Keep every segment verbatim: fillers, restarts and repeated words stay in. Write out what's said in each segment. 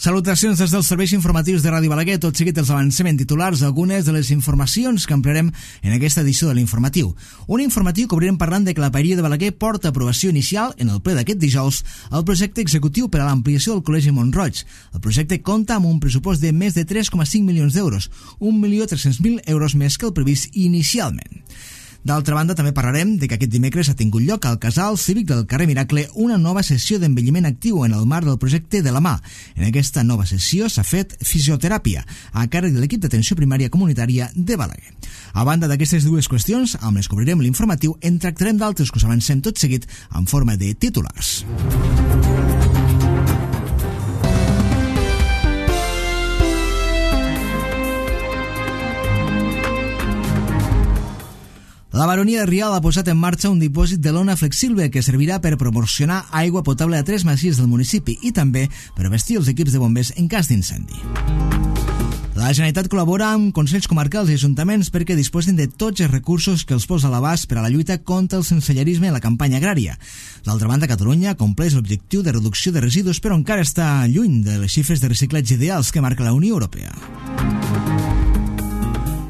Salutacions des dels serveis informatius de Ràdio Balaguer. Tot seguit els avancem en titulars algunes de les informacions que ampliarem en aquesta edició de l'informatiu. Un informatiu que obrirem parlant de que la Paeria de Balaguer porta aprovació inicial en el ple d'aquest dijous al projecte executiu per a l'ampliació del Col·legi Mont-roig. El projecte compta amb un pressupost de més de tres coma cinc milions d'euros, un milió tres-cents mil euros més que el previst inicialment. D'altra banda, també parlarem de que aquest dimecres ha tingut lloc al Casal Cívic del carrer Miracle una nova sessió d'envelliment actiu en el marc del projecte de la mà. En aquesta nova sessió s'ha fet fisioteràpia a càrrec de l'equip d'atenció primària comunitària de Balaguer. A banda d'aquestes dues qüestions, amb les que obrirem l'informatiu, en tractarem d'altres que us avancem tot seguit en forma de titulars. La baronia de Rialb ha posat en marxa un dipòsit de lona flexible que servirà per proporcionar aigua potable a tres masies del municipi i també per vestir els equips de bombers en cas d'incendi. La Generalitat col·labora amb consells comarcals i ajuntaments perquè disposin de tots els recursos que els posa a l'abast per a la lluita contra el sensellarisme en la campanya agrària. D'altra banda, Catalunya compleix l'objectiu de reducció de residus, però encara està lluny de les xifres de reciclatge ideals que marca la Unió Europea.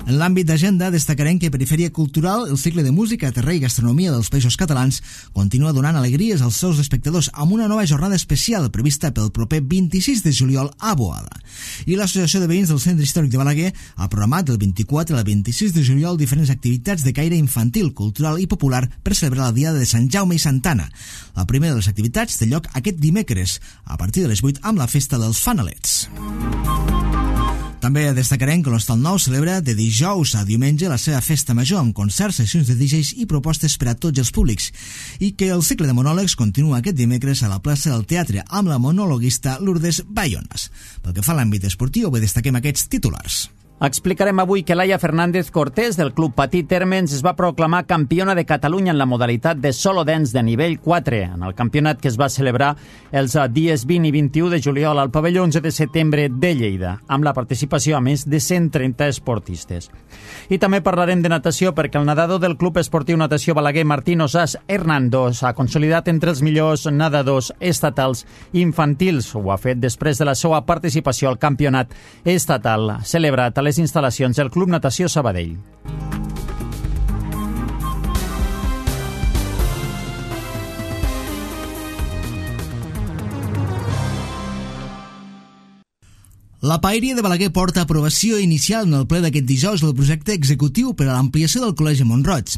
En l'àmbit d'agenda destacarem que Perifèria Cultural, el cicle de música, terrer i gastronomia dels Països Catalans, continua donant alegries als seus espectadors amb una nova jornada especial prevista pel proper vint-i-sis de juliol a Boada. I l'Associació de Veïns del Centre Històric de Balaguer ha programat del vint-i-quatre al vint-i-sis de juliol diferents activitats de caire infantil, cultural i popular per celebrar la Diada de Sant Jaume i Santa Anna. La primera de les activitats té lloc aquest dimecres, a partir de les vuit amb la festa dels fanalets. També destacarem que l'Hostal Nou celebra de dijous a diumenge la seva festa major amb concerts, sessions de D Js i propostes per a tots els públics i que el cicle de monòlegs continua aquest dimecres a la plaça del Teatre amb la monologuista Lourdes Bayonas. Pel que fa a l'àmbit esportiu, avui destaquem aquests titulars. Explicarem avui que Laia Fernández Cortés del Club Patí Térmens es va proclamar campiona de Catalunya en la modalitat de solo dance de nivell quatre, en el campionat que es va celebrar els dies vint i vint-i-u de juliol al pavelló onze de setembre de Lleida, amb la participació a més de cent trenta esportistes. I també parlarem de natació perquè el nedador del Club Esportiu Natació Balaguer, Martín Osàs Hernando, s'ha consolidat entre els millors nedadors estatals infantils. Ho ha fet després de la seva participació al campionat estatal celebrat a les instal·lacions del Club Natació Sabadell. La Paeria de Balaguer porta aprovació inicial en el ple d'aquest dijous del projecte executiu per a l'ampliació del Col·legi Mont-roig.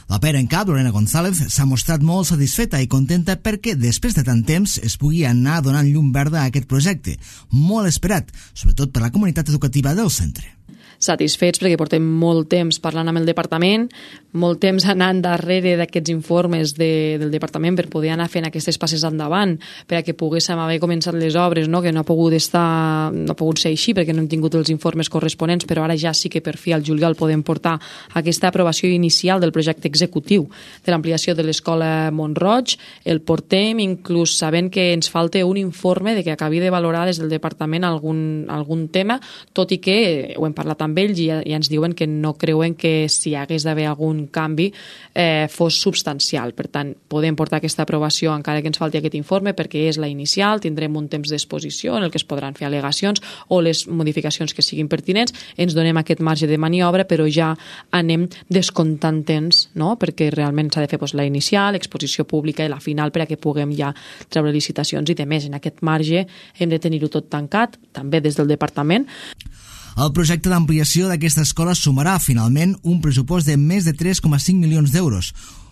La pera en cap, Lorena González, s'ha mostrat molt satisfeta i contenta perquè després de tant temps es pugui anar donant llum verda a aquest projecte, molt esperat, sobretot per la comunitat educativa del centre. Satisfets perquè portem molt temps parlant amb el departament, molt temps anant darrere d'aquests informes de, del departament per poder anar fent aquestes passes endavant, per a que poguéssim haver començat les obres, no? Que no ha pogut estar, no ha pogut ser així perquè no hem tingut els informes corresponents, però ara ja sí que per fi al juliol podem portar aquesta aprovació inicial del projecte executiu de l'ampliació de l'escola Mont-roig. El portem inclús sabent que ens falta un informe de que acabi de valorar des del departament algun, algun tema, tot i que ho hem parlat amb ells i ja, ja ens diuen que no creuen que si hagués d'haver algun canvi eh, fos substancial. Per tant, podem portar aquesta aprovació encara que ens falti aquest informe perquè és la inicial, tindrem un temps d'exposició en el que es podran fer al·legacions o les modificacions que siguin pertinents, ens donem aquest marge de maniobra, però ja anem descomptant temps, no? Perquè realment s'ha de fer doncs, la inicial, l'exposició pública i la final per a que puguem ja treure licitacions i de més. En aquest marge hem de tenir-ho tot tancat, també des del departament. El projecte d'ampliació d'aquesta escola sumarà finalment un pressupost de més de tres coma cinc milions d'euros,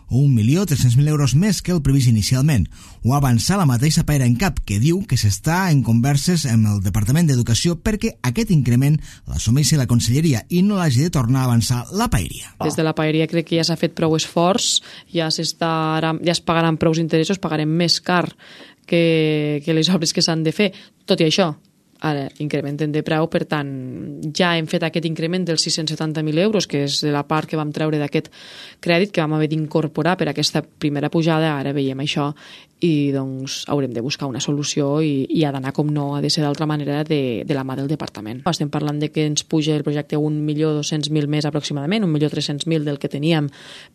un milió tres-cents mil euros més que el previst inicialment. Ho ha avançat la mateixa Paera en cap, que diu que s'està en converses amb el Departament d'Educació perquè aquest increment l'assumeixi la Conselleria i no l'hagi de tornar a avançar la Paeria. Des de la Paeria crec que ja s'ha fet prou esforç, ja, ja es pagaran prou interessos, pagarem més car que, que les obres que s'han de fer. Tot i això, ara incrementen de preu, per tant ja hem fet aquest increment dels sis-cents setanta mil euros, que és de la part que vam treure d'aquest crèdit que vam haver d'incorporar per aquesta primera pujada. Ara veiem això i doncs haurem de buscar una solució i, i ha d'anar, com no ha de ser d'altra manera, de, de la mà del departament. Estem parlant de que ens puja el projecte un milió dos-cents mil més aproximadament, un milió tres-cents mil del que teníem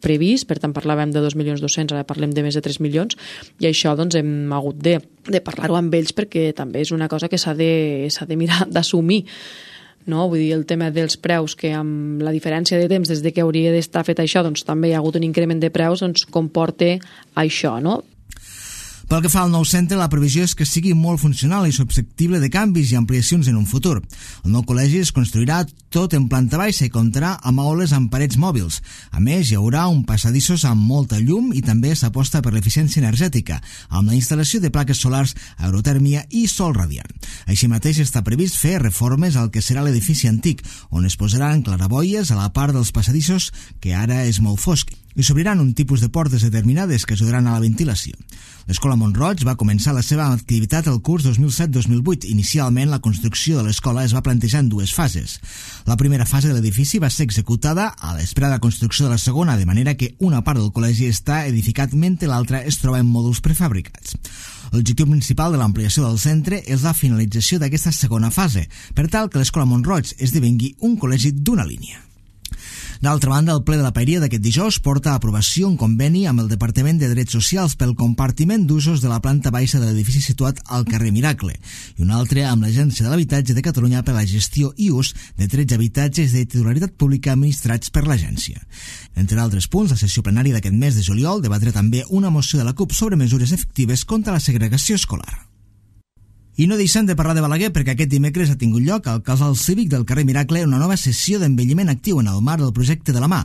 previst, per tant parlàvem de dos milions dos-cents, ara parlem de més de tres milions, i això doncs hem hagut de de parlar-ho amb ells, perquè també és una cosa que s'ha de, s'ha de mirar d'assumir. No? Vull dir, el tema dels preus, que amb la diferència de temps des de que hauria d'estar fet això, doncs també hi ha hagut un increment de preus, doncs comporta això, no? Pel que fa al nou centre, la previsió és que sigui molt funcional i susceptible de canvis i ampliacions en un futur. El nou col·legi es construirà tot en planta baixa i comptarà amb aules amb parets mòbils. A més, hi haurà un passadissos amb molta llum i també s'aposta per l'eficiència energètica, amb la instal·lació de plaques solars, aerotèrmia i sol radiant. Així mateix està previst fer reformes al que serà l'edifici antic, on es posaran claraboies a la part dels passadissos, que ara és molt fosc, i s'obriran un tipus de portes determinades que ajudaran a la ventilació. L'Escola Mont-roig va començar la seva activitat el curs dos mil set dos mil vuit. Inicialment, la construcció de l'escola es va plantejar en dues fases. La primera fase de l'edifici va ser executada a l'espera de la construcció de la segona, de manera que una part del col·legi està edificat mentre l'altra es troba en mòduls prefabricats. L'objectiu principal de l'ampliació del centre és la finalització d'aquesta segona fase, per tal que l'Escola Mont-roig esdevengui un col·legi d'una línia. D'altra banda, el ple de la Paeria d'aquest dijous porta a aprovació un conveni amb el Departament de Drets Socials pel compartiment d'usos de la planta baixa de l'edifici situat al carrer Miracle i un altre amb l'Agència de l'Habitatge de Catalunya per la gestió i ús de tretze habitatges de titularitat pública administrats per l'agència. Entre altres punts, la sessió plenària d'aquest mes de juliol debatrà també una moció de la CUP sobre mesures efectives contra la segregació escolar. I no deixem de parlar de Balaguer perquè aquest dimecres ha tingut lloc al Casal Cívic del carrer Miracle una nova sessió d'envelliment actiu en el marc del projecte de la mà.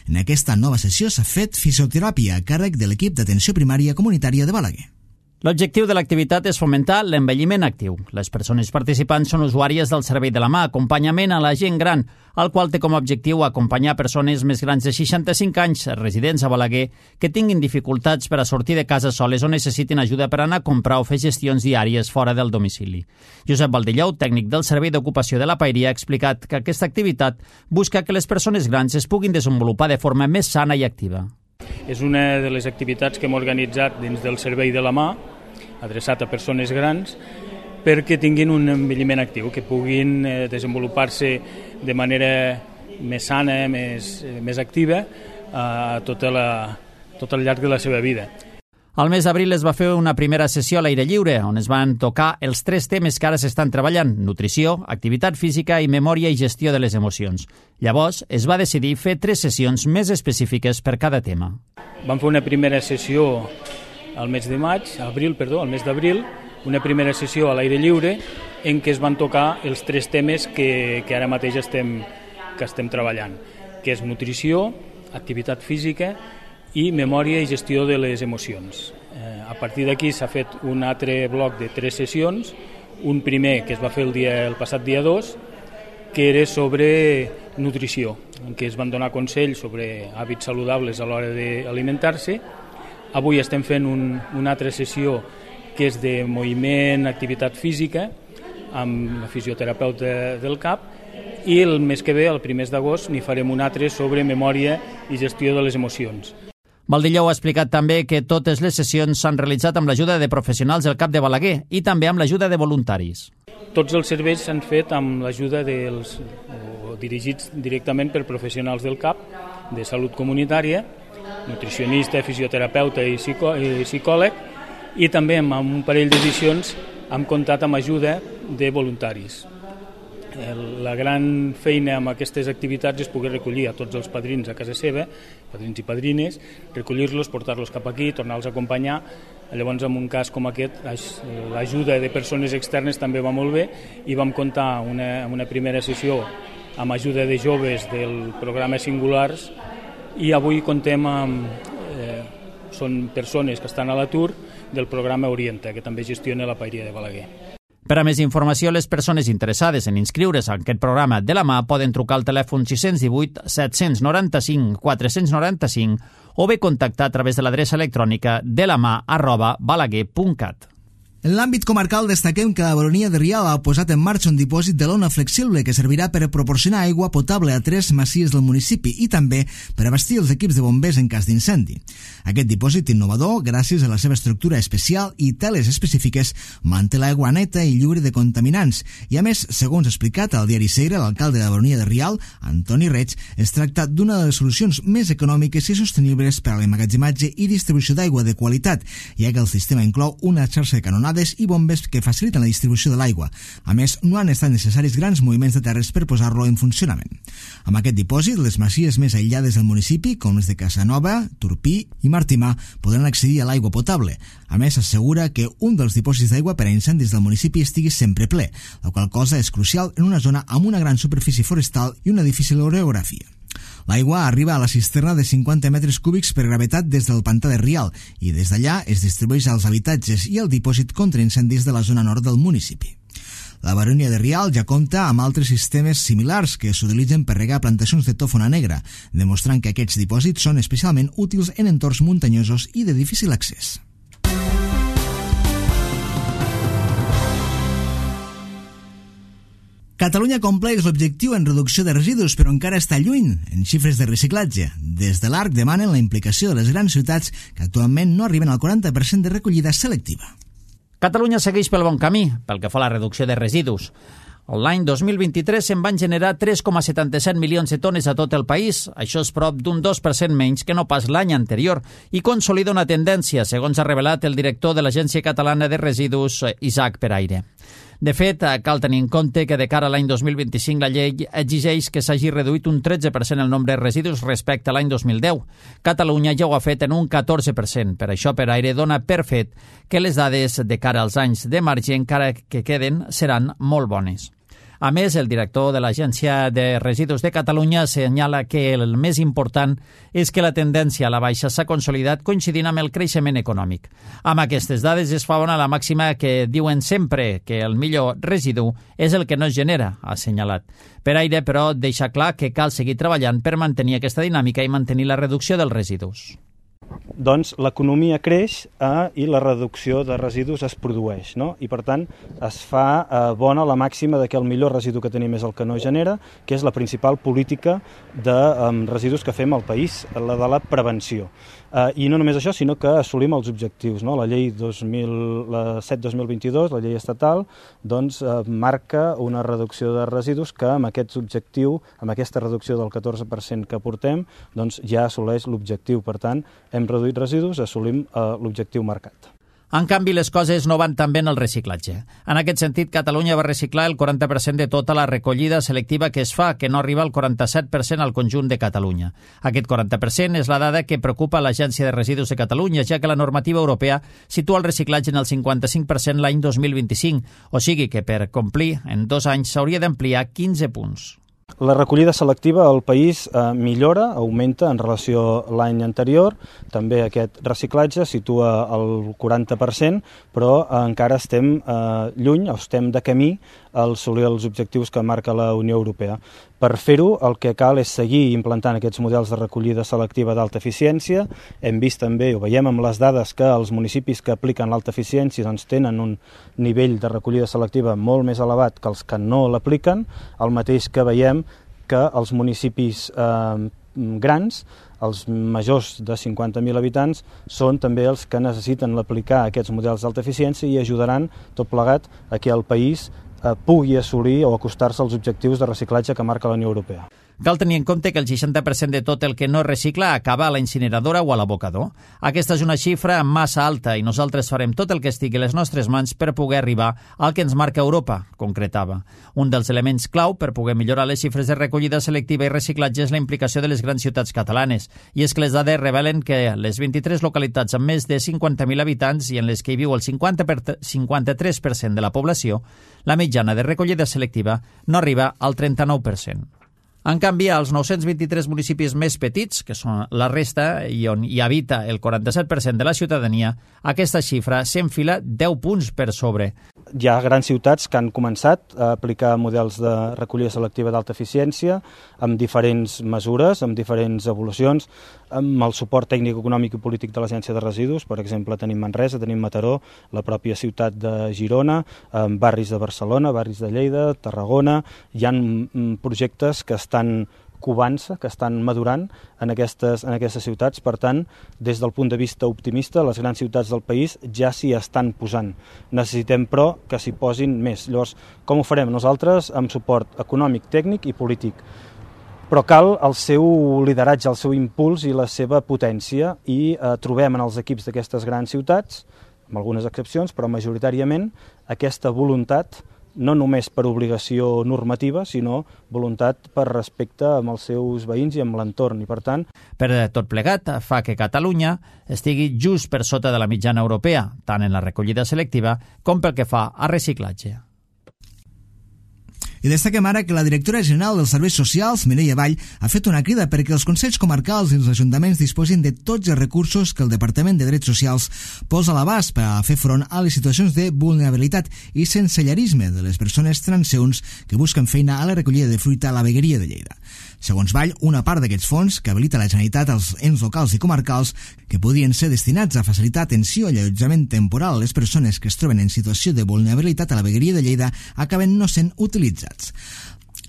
En aquesta nova sessió s'ha fet fisioteràpia a càrrec de l'equip d'atenció primària comunitària de Balaguer. L'objectiu de l'activitat és fomentar l'envelliment actiu. Les persones participants són usuàries del servei de la mà, acompanyament a la gent gran, el qual té com a objectiu acompanyar persones més grans de seixanta-cinc anys, residents a Balaguer, que tinguin dificultats per a sortir de casa soles o necessitin ajuda per anar a comprar o fer gestions diàries fora del domicili. Josep Valdellou, tècnic del Servei d'Ocupació de la Paeria, ha explicat que aquesta activitat busca que les persones grans es puguin desenvolupar de forma més sana i activa. És una de les activitats que hem organitzat dins del Servei de la Mà, adreçat a persones grans, perquè tinguin un envelliment actiu, que puguin eh, desenvolupar-se de manera més sana, més, eh, més activa, a tota la, tot el llarg de la seva vida. Al mes d'abril es va fer una primera sessió a l'aire lliure, on es van tocar els tres temes que ara s'estan treballant: nutrició, activitat física i memòria i gestió de les emocions. Llavors, es va decidir fer tres sessions més específiques per cada tema. Vam fer una primera sessió al mes de maig, abril, perdó, al mes d'abril, una primera sessió a l'aire lliure en què es van tocar els tres temes que, que ara mateix estem, que estem treballant, que és nutrició, activitat física i memòria i gestió de les emocions. Eh, a partir d'aquí s'ha fet un altre bloc de tres sessions, un primer que es va fer el, dia, el passat dia dos, que era sobre nutrició, en què es van donar consells sobre hàbits saludables a l'hora d'alimentar-se. Avui estem fent un, una altra sessió que és de moviment, activitat física, amb la fisioterapeuta del C A P, i el mes que ve, el primer d'agost, n'hi farem un altre sobre memòria i gestió de les emocions. Valdellou ha explicat també que totes les sessions s'han realitzat amb l'ajuda de professionals del C A P de Balaguer i també amb l'ajuda de voluntaris. Tots els serveis s'han fet amb l'ajuda dels, o dirigits directament per professionals del C A P, de salut comunitària, nutricionista, fisioterapeuta i, psicò i psicòleg, i també amb un parell d'edicions hem comptat amb ajuda de voluntaris. La gran feina amb aquestes activitats és poder recollir a tots els padrins a casa seva, padrins i padrines, recollir-los, portar-los cap aquí, tornar-los a acompanyar. Llavors, en un cas com aquest, l'ajuda de persones externes també va molt bé i vam comptar una, una primera sessió amb ajuda de joves del programa Singulars i avui contem amb... Eh, són persones que estan a l'atur del programa Orienta, que també gestiona la Paeria de Balaguer. Per a més informació, les persones interessades en inscriure's en aquest programa de la mà poden trucar al telèfon sis cents divuit set cents noranta-cinc quatre cents noranta-cinc o bé contactar a través de l'adreça electrònica de la mà arroba balaguer punt cat. En l'àmbit comarcal destaquem que la Baronia de Rialb ha posat en marxa un dipòsit de lona flexible que servirà per proporcionar aigua potable a tres masies del municipi i també per abastir els equips de bombers en cas d'incendi. Aquest dipòsit innovador, gràcies a la seva estructura especial i teles específiques, manté l'aigua neta i lliure de contaminants. I a més, segons ha explicat al diari Segre, l'alcalde de la Baronia de Rialb, Antoni Reig, es tracta d'una de les solucions més econòmiques i sostenibles per a l'emmagatzematge i distribució d'aigua de qualitat, ja que el sistema inclou una xarxa de canonada escalades i bombes que faciliten la distribució de l'aigua. A més, no han estat necessaris grans moviments de terres per posar-lo en funcionament. Amb aquest dipòsit, les masies més aïllades del municipi, com les de Casanova, Turpí i Martimà, podran accedir a l'aigua potable. A més, assegura que un dels dipòsits d'aigua per a incendis del municipi estigui sempre ple, la qual cosa és crucial en una zona amb una gran superfície forestal i una difícil orografia. L'aigua arriba a la cisterna de cinquanta metres cúbics per gravetat des del pantà de Rial i des d'allà es distribueix als habitatges i al dipòsit contra incendis de la zona nord del municipi. La baronia de Rial ja compta amb altres sistemes similars que s'utilitzen per regar plantacions de tòfona negra, demostrant que aquests dipòsits són especialment útils en entorns muntanyosos i de difícil accés. Catalunya compleix l'objectiu en reducció de residus, però encara està lluny en xifres de reciclatge. Des de l'Arc demanen la implicació de les grans ciutats que actualment no arriben al quaranta per cent de recollida selectiva. Catalunya segueix pel bon camí pel que fa a la reducció de residus. L'any dos mil vint-i-tres se'n van generar tres coma setanta-set milions de tones a tot el país. Això és prop d'un dos per cent menys que no pas l'any anterior i consolida una tendència, segons ha revelat el director de l'Agència Catalana de Residus, Isaac Peraire. De fet, cal tenir en compte que de cara a l'any dos mil vint-i-cinc la llei exigeix que s'hagi reduït un tretze per cent el nombre de residus respecte a l'any dos mil deu. Catalunya ja ho ha fet en un catorze per cent. Per això Peraire dona per fet que les dades de cara als anys de marge encara que queden seran molt bones. A més, el director de l'Agència de Residus de Catalunya assenyala que el més important és que la tendència a la baixa s'ha consolidat coincidint amb el creixement econòmic. Amb aquestes dades es fa bona la màxima que diuen sempre que el millor residu és el que no es genera, ha assenyalat. Peraire, però, deixa clar que cal seguir treballant per mantenir aquesta dinàmica i mantenir la reducció dels residus. Doncs l'economia creix eh, i la reducció de residus es produeix, no? I per tant es fa eh, bona la màxima de que el millor residu que tenim és el que no genera, que és la principal política de eh, residus que fem al país, la de la prevenció. Eh, I no només això, sinó que assolim els objectius, no? La llei dos mil set dos mil vint-i-dos, la llei estatal, doncs eh, marca una reducció de residus que amb aquest objectiu, amb aquesta reducció del catorze per cent que portem, doncs ja assoleix l'objectiu. Per tant, hem reduït residus, assolim eh, l'objectiu marcat. En canvi, les coses no van tan bé en el reciclatge. En aquest sentit, Catalunya va reciclar el quaranta per cent de tota la recollida selectiva que es fa, que no arriba al quaranta-set per cent al conjunt de Catalunya. Aquest quaranta per cent és la dada que preocupa l'Agència de Residus de Catalunya, ja que la normativa europea situa el reciclatge en el cinquanta-cinc per cent l'any dos mil vint-i-cinc, o sigui que per complir en dos anys s'hauria d'ampliar quinze punts. La recollida selectiva al país eh, millora, augmenta en relació a l'any anterior. També aquest reciclatge situa el quaranta per cent, però eh, encara estem eh, lluny, o estem de camí a assolir els objectius que marca la Unió Europea. Per fer-ho, el que cal és seguir implantant aquests models de recollida selectiva d'alta eficiència. Hem vist també, ho veiem amb les dades, que els municipis que apliquen l'alta eficiència doncs, tenen un nivell de recollida selectiva molt més elevat que els que no l'apliquen, el mateix que veiem que els municipis eh, grans, els majors de cinquanta mil habitants, són també els que necessiten aplicar aquests models d'alta eficiència i ajudaran tot plegat a que el país eh, pugui assolir o acostar-se als objectius de reciclatge que marca la Unió Europea. Cal tenir en compte que el seixanta per cent de tot el que no es recicla acaba a la incineradora o a l'abocador. Aquesta és una xifra massa alta i nosaltres farem tot el que estigui a les nostres mans per poder arribar al que ens marca Europa, concretava. Un dels elements clau per poder millorar les xifres de recollida selectiva i reciclatge és la implicació de les grans ciutats catalanes. I és que les dades revelen que les vint-i-tres localitats amb més de cinquanta mil habitants i en les que hi viu el cinquanta-tres per cent de la població, la mitjana de recollida selectiva no arriba al trenta-nou per cent. En canvi, als nou-cents vint-i-tres municipis més petits, que són la resta i on hi habita el quaranta-set per cent de la ciutadania, aquesta xifra s'enfila deu punts per sobre. Hi ha grans ciutats que han començat a aplicar models de recollida selectiva d'alta eficiència amb diferents mesures, amb diferents evolucions, amb el suport tècnic, econòmic i polític de l'Agència de Residus. Per exemple, tenim Manresa, tenim Mataró, la pròpia ciutat de Girona, barris de Barcelona, barris de Lleida, Tarragona. Hi ha projectes que estan covant-se, que estan madurant en aquestes, en aquestes ciutats. Per tant, des del punt de vista optimista, les grans ciutats del país ja s'hi estan posant. Necessitem, però, que s'hi posin més. Llavors, com ho farem? Nosaltres amb suport econòmic, tècnic i polític. Però cal el seu lideratge, el seu impuls i la seva potència i eh, trobem en els equips d'aquestes grans ciutats amb algunes excepcions, però majoritàriament aquesta voluntat, no només per obligació normativa, sinó voluntat per respecte amb els seus veïns i amb l'entorn. I per tant, per tot plegat, fa que Catalunya estigui just per sota de la mitjana europea, tant en la recollida selectiva com pel que fa a reciclatge. I destaquem ara que la directora general dels Serveis Socials, Mireia Vall, ha fet una crida perquè els consells comarcals i els ajuntaments disposin de tots els recursos que el Departament de Drets Socials posa a l'abast per a fer front a les situacions de vulnerabilitat i sensellarisme de les persones transeunts que busquen feina a la recollida de fruita a la vegueria de Lleida. Segons Vall, una part d'aquests fons que habilita la Generalitat als ens locals i comarcals que podien ser destinats a facilitar atenció i allotjament temporal a les persones que es troben en situació de vulnerabilitat a la vegueria de Lleida acaben no sent utilitzats.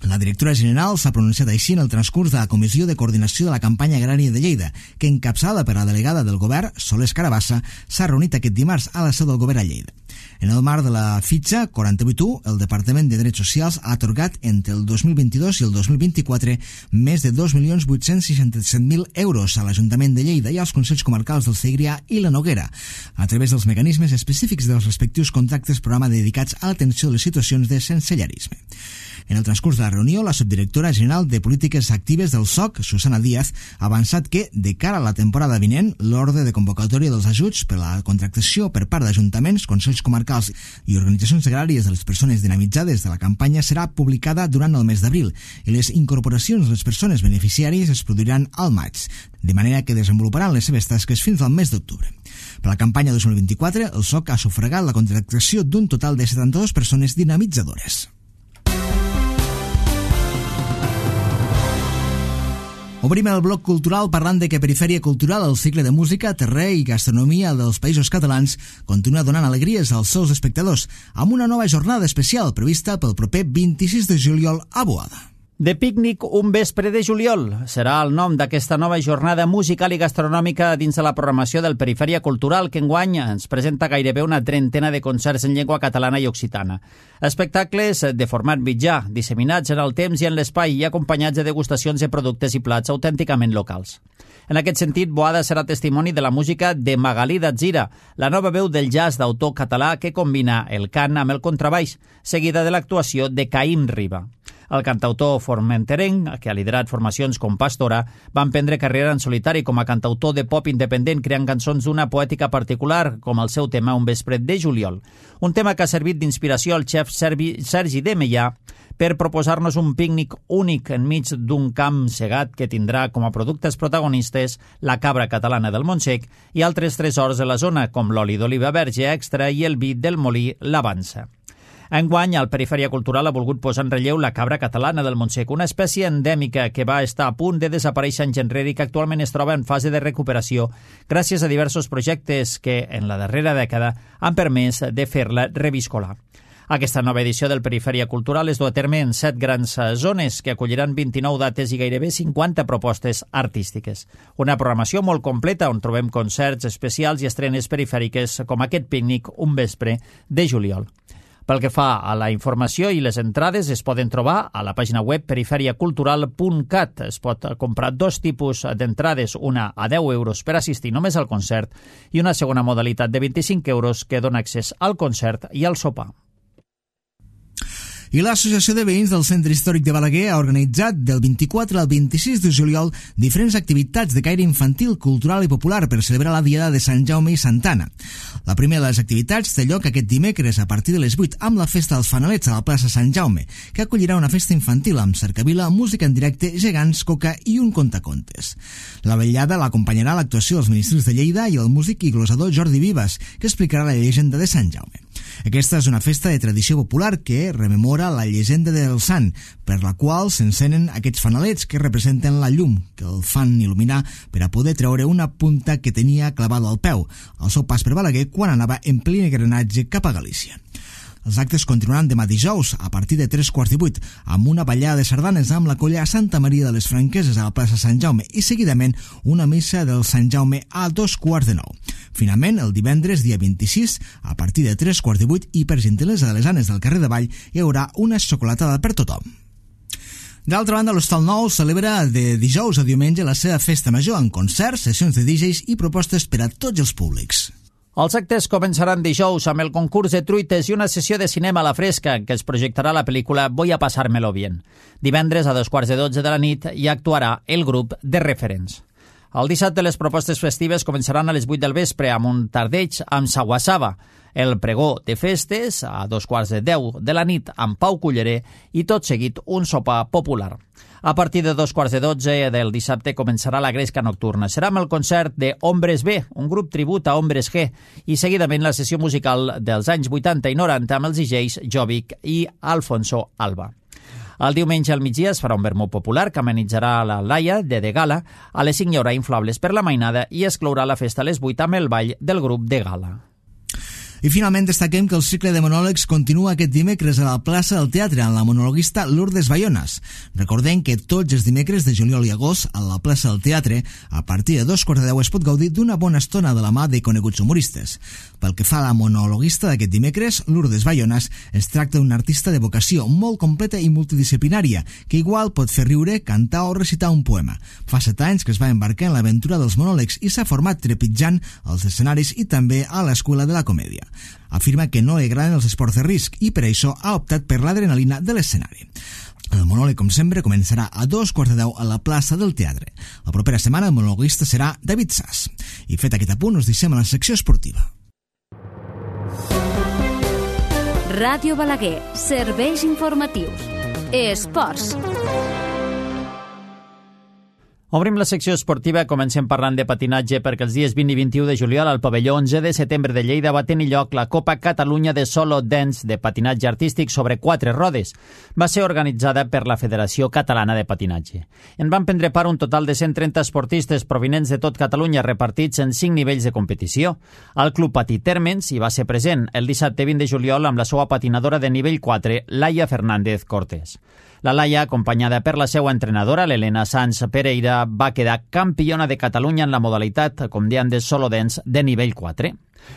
La directora general s'ha pronunciat així en el transcurs de la Comissió de Coordinació de la Campanya Agrària de Lleida, que, encapçada per la delegada del govern, Soles Carabassa, s'ha reunit aquest dimarts a la seu del govern a Lleida. En el marc de la fitxa quaranta-vuit u, el Departament de Drets Socials ha atorgat entre el dos mil vint-i-dos i el dos mil vint-i-quatre més de dos milions vuit-cents seixanta-set mil euros a l'Ajuntament de Lleida i als Consells Comarcals del Segrià i la Noguera, a través dels mecanismes específics dels respectius contractes programa dedicats a l'atenció de les situacions de sensellarisme. En el transcurs de la reunió, la subdirectora general de Polítiques Actives del S O C, Susana Díaz, ha avançat que, de cara a la temporada vinent, l'ordre de convocatòria dels ajuts per a la contractació per part d'ajuntaments, consells comarcals i organitzacions agràries de les persones dinamitzades de la campanya serà publicada durant el mes d'abril i les incorporacions de les persones beneficiàries es produiran al maig, de manera que desenvoluparan les seves tasques fins al mes d'octubre. Per a la campanya dos mil vint-i-quatre, el S O C ha sufragat la contractació d'un total de setanta-dues persones dinamitzadores. Obrim el bloc cultural parlant de que Perifèria Cultural, el cicle de música, terrer i gastronomia dels Països Catalans, continua donant alegries als seus espectadors amb una nova jornada especial prevista pel proper vint-i-sis de juliol a Boada. De pícnic un vespre de juliol serà el nom d'aquesta nova jornada musical i gastronòmica dins de la programació del Perifèria Cultural, que enguany ens presenta gairebé una trentena de concerts en llengua catalana i occitana. Espectacles de format mitjà, disseminats en el temps i en l'espai i acompanyats de degustacions de productes i plats autènticament locals. En aquest sentit, Boada serà testimoni de la música de Magalí Datzira, la nova veu del jazz d'autor català que combina el cant amb el contrabaix, seguida de l'actuació de Caïm Riba. El cantautor formenterenc, que ha liderat formacions com Pastora, va emprendre carrera en solitari com a cantautor de pop independent, creant cançons d'una poètica particular, com el seu tema Un vespre de juliol. Un tema que ha servit d'inspiració al xef Sergi de Meià per proposar-nos un pícnic únic enmig d'un camp segat que tindrà com a productes protagonistes la cabra catalana del Montsec i altres tresors de la zona, com l'oli d'oliva verge extra i el vi del molí L'Avança. Enguany, el Perifèria Cultural ha volgut posar en relleu la cabra catalana del Montsec, una espècie endèmica que va estar a punt de desaparèixer en genrer i que actualment es troba en fase de recuperació gràcies a diversos projectes que, en la darrera dècada, han permès de fer-la reviscolar. Aquesta nova edició del Perifèria Cultural es du a terme en set grans zones que acolliran vint-i-nou dates i gairebé cinquanta propostes artístiques. Una programació molt completa on trobem concerts especials i estrenes perifèriques com aquest pícnic un vespre de juliol. Pel que fa a la informació i les entrades, es poden trobar a la pàgina web perifèria cultural punt cat. Es pot comprar dos tipus d'entrades, una a deu euros per assistir només al concert i una segona modalitat de vint-i-cinc euros que dona accés al concert i al sopar. I l'Associació de Veïns del Centre Històric de Balaguer ha organitzat del vint-i-quatre al vint-i-sis de juliol diferents activitats de caire infantil, cultural i popular per celebrar la Diada de Sant Jaume i Santa Anna. La primera de les activitats té lloc aquest dimecres a partir de les vuit amb la Festa dels Fanalets a la plaça Sant Jaume, que acollirà una festa infantil amb cercavila, música en directe, gegants, coca i un contacontes. La vetllada l'acompanyarà l'actuació dels ministres de Lleida i el músic i glosador Jordi Vives, que explicarà la llegenda de Sant Jaume. Aquesta és una festa de tradició popular que rememora la llegenda del sant, per la qual s'encenen aquests fanalets que representen la llum, que el fan il·luminar per a poder treure una punta que tenia clavada al peu, al seu pas per Balaguer quan anava en ple engranatge cap a Galícia. Els actes continuaran demà dijous, a partir de tres quarts i vuit, amb una ballada de sardanes amb la colla Santa Maria de les Franqueses a la plaça Sant Jaume i seguidament una missa del Sant Jaume a dos quarts de nou. Finalment, el divendres, dia vint-i-sis, a partir de tres quarts de vuit i per gentilesa de les Anes del carrer de Vall, hi haurà una xocolatada per tothom. D'altra banda, l'Hostal Nou celebra de dijous a diumenge la seva festa major amb concerts, sessions de D Js i propostes per a tots els públics. Els actes començaran dijous amb el concurs de truites i una sessió de cinema a la fresca en què es projectarà la pel·lícula Voy a pasármelo bien. Divendres a dos quarts de dotze de la nit hi actuarà el grup de Referents. El dissabte les propostes festives començaran a les vuit del vespre amb un tardeig amb Saguasaba, el pregó de festes a dos quarts de deu de la nit amb Pau Culleré i tot seguit un sopar popular. A partir de dos quarts de dotze del dissabte començarà la gresca nocturna. Serà amb el concert de Hombres B, un grup tribut a Hombres G, i seguidament la sessió musical dels anys vuitanta i noranta amb els D Js Jovic i Alfonso Alba. El diumenge al migdia es farà un vermut popular que amenitzarà la Laia de De Gala. A les cinc hi haurà inflables per la mainada i es clourà la festa a les vuit amb el ball del grup de Gala. I finalment destaquem que el cicle de monòlegs continua aquest dimecres a la plaça del Teatre amb la monologuista Lourdes Bayonas. Recordem que tots els dimecres de juliol i agost a la plaça del Teatre, a partir de dos quarts de deu es pot gaudir d'una bona estona de la mà de coneguts humoristes. Pel que fa a la monologuista d'aquest dimecres, Lourdes Bayonas es tracta d'un artista de vocació molt completa i multidisciplinària, que igual pot fer riure, cantar o recitar un poema. Fa set anys que es va embarcar en l'aventura dels monòlegs i s'ha format trepitjant als escenaris i també a l'escola de la comèdia. Afirma que no li agraden els esports de risc i per això ha optat per l'adrenalina de l'escenari. El monòleg, com sempre, començarà a dos quarts de deu a la plaça del Teatre. La propera setmana el monologuista serà David Sass. I fet aquest apunt, us deixem a la secció esportiva. Ràdio Balaguer, serveis informatius. Esports. Obrim la secció esportiva, comencem parlant de patinatge perquè els dies vint i vint-i-u de juliol al pavelló onze de setembre de Lleida va tenir lloc la Copa Catalunya de Solo Dance de patinatge artístic sobre quatre rodes. Va ser organitzada per la Federació Catalana de Patinatge. En van prendre part un total de cent trenta esportistes provinents de tot Catalunya repartits en cinc nivells de competició. El Club Patí Térmens hi va ser present el dissabte vint de juliol amb la seva patinadora de nivell quatre, Laia Fernández Cortés. La Laia, acompanyada per la seva entrenadora, l'Helena Sanz Pereira, va quedar campiona de Catalunya en la modalitat, com dèiem, de solo dance de nivell quatre.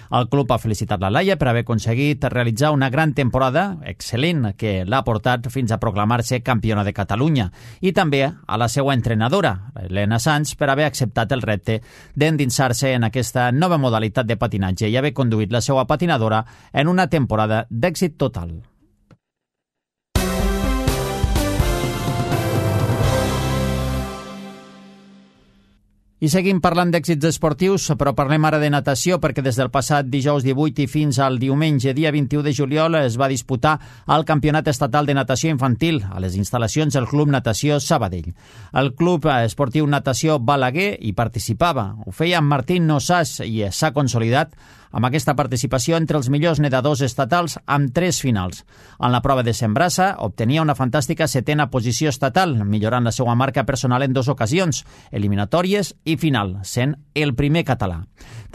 El club ha felicitat la Laia per haver aconseguit realitzar una gran temporada, excel·lent, que l'ha portat fins a proclamar-se campiona de Catalunya, i també a la seva entrenadora, Helena Sanz, per haver acceptat el repte d'endinsar-se en aquesta nova modalitat de patinatge i haver conduït la seva patinadora en una temporada d'èxit total. I seguim parlant d'èxits esportius, però parlem ara de natació perquè des del passat dijous divuit i fins al diumenge dia vint-i-u de juliol es va disputar el Campionat Estatal de Natació Infantil a les instal·lacions del Club Natació Sabadell. El Club Esportiu Natació Balaguer hi participava. Ho feia amb Martín Nosàs i s'ha consolidat amb aquesta participació entre els millors nedadors estatals amb tres finals. En la prova de cent braça obtenia una fantàstica setena posició estatal, millorant la seva marca personal en dues ocasions, eliminatòries i final, sent el primer català.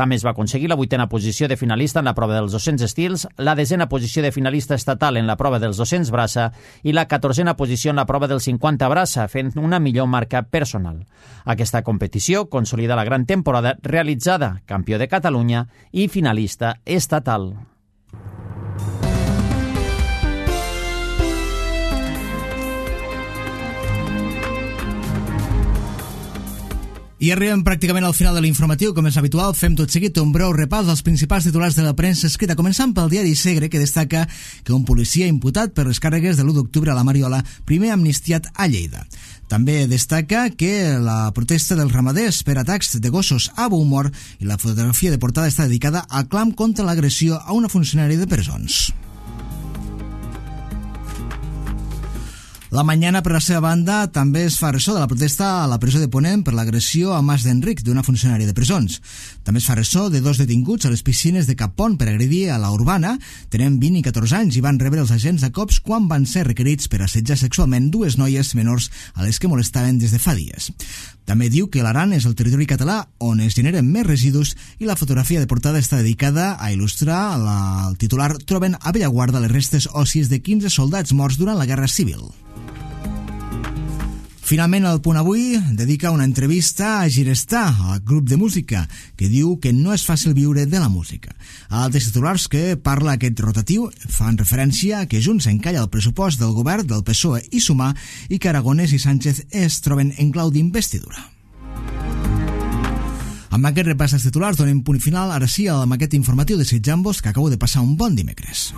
També es va aconseguir la vuitena posició de finalista en la prova dels dos-cents estils, la desena posició de finalista estatal en la prova dels dos-cents braça i la catorzena posició en la prova del cinquanta braça, fent una millor marca personal. Aquesta competició consolida la gran temporada realitzada, campió de Catalunya i finalista estatal. I arribem pràcticament al final de l'informatiu. Com és habitual, fem tot seguit un breu repàs dels principals titulars de la premsa escrita, començant pel diari Segre, que destaca que un policia imputat per les càrregues de l'u d'octubre a la Mariola, primer amnistiat a Lleida. També destaca que la protesta dels ramaders per atacs de gossos a Beaumont i la fotografia de portada està dedicada al clam contra l'agressió a una funcionària de presons. La Mañana, per la seva banda, també es fa ressò de la protesta a la presó de Ponent per l'agressió a Mas d'Enric, d'una funcionària de presons. També es fa ressò de dos detinguts a les piscines de Cap Pont per agredir a la Urbana. Tenen vint i catorze anys i van rebre els agents a cops quan van ser requerits per assetjar sexualment dues noies menors a les que molestaven des de fa dies. També diu que l'Aran és el territori català on es generen més residus i la fotografia de portada està dedicada a il·lustrar la, el titular "Troben a Bellaguarda les restes òssies de quinze soldats morts durant la Guerra Civil". Finalment, el Punt Avui dedica una entrevista a Girestar, al grup de música, que diu que no és fàcil viure de la música. Altres titulars que parla aquest rotatiu fan referència a que Junts encalla el pressupost del govern del P S O E i Sumar i que Aragonès i Sánchez es troben en clau d'investidura. Amb aquest repàs dels titulars donem punt final, ara sí, amb aquest informatiu desitjant-vos que acabeu de passar un bon dimecres.